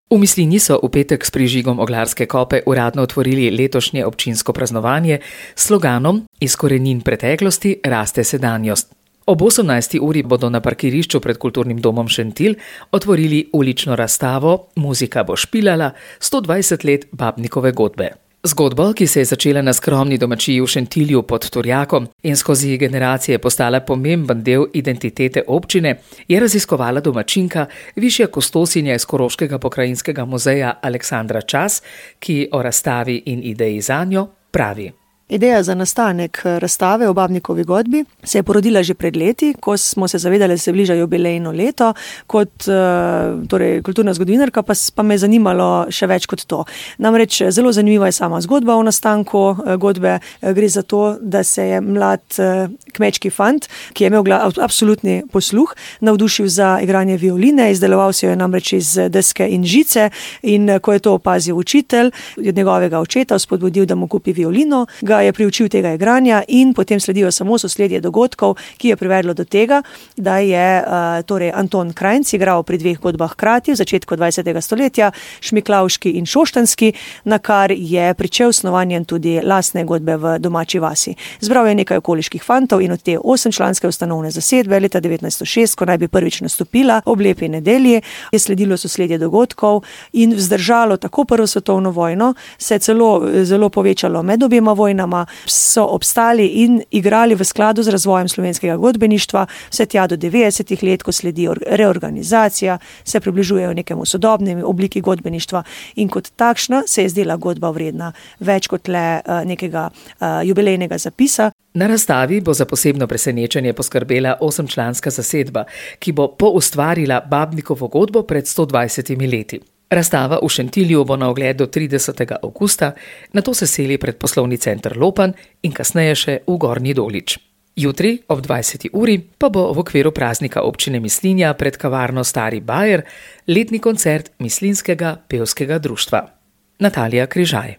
V Mislinji so v petek s prižigom Oglarske kope uradno otvorili letošnje občinsko praznovanje s sloganom Iz korenin preteklosti raste sedanjost. Ob 18. uri bodo na parkirišču pred Kulturnim domom Šentilj otvorili ulično razstavo Muzika bo špilala 120 let Babnikove godbe. Zgodbo, ki se je začela na skromni domačiji v Šentilju pod Turjakom in skozi generacije postala pomemben del identitete občine, je raziskovala domačinka, višja kustosinja iz Koroškega pokrajinskega muzeja Aleksandra Čas, ki o razstavi in ideji zanjo pravi. Ideja za nastanek razstave o Babnikovi godbi se je porodila že pred leti, ko smo se zavedali, da se bliža jubilejno leto. Kot kulturna zgodovinarka pa me je zanimalo še več kot to. Namreč zelo zanimiva je sama zgodba o nastanku godbe. Gre za to, da se je mlad kmečki fant, ki je imel absolutni posluh, navdušil za igranje violine, izdeloval si jo je namreč iz deske in žice, in ko je to opazil učitelj, od njegovega očeta spodbudil, da mu kupi violino, je priučil tega igranja in potem sledijo samo sosledje dogodkov, ki je privedlo do tega, da je Anton Krajnc igral pri dveh godbah hkrati v začetku 20. stoletja, Šmiklavški in Šoštanski, na kar je pričel snovanjem tudi lastne godbe v domači vasi. Zbral je nekaj okoliških fantov in od te 8-članske ustanovne zasedbe leta 1906, ko naj bi prvič nastopila ob lepi nedelji, je sledilo sosledje dogodkov in vzdržalo tako prvo svetovno vojno, se je zelo povečalo med obema vojnama, so obstali in igrali v skladu z razvojem slovenskega godbeništva, vse tja do 90. let, ko sledi reorganizacija, se približujejo nekemu sodobnemu obliki godbeništva in kot takšna se je zdela godba vredna več kot le nekega jubilejnega zapisa. Na razstavi bo za posebno presenečenje poskrbela 8-članska zasedba, ki bo poustvarila Babnikovo godbo pred 120 leti. Razstava v Šentilju bo na ogled do 30. avgusta, nato se seli pred poslovni center Lopan in kasneje še v Gornji Dolič. Jutri ob 20. uri pa bo v okviru praznika občine Mislinja pred kavarno Stari Bajer letni koncert Mislinjskega pevskega društva. Natalija Križaj.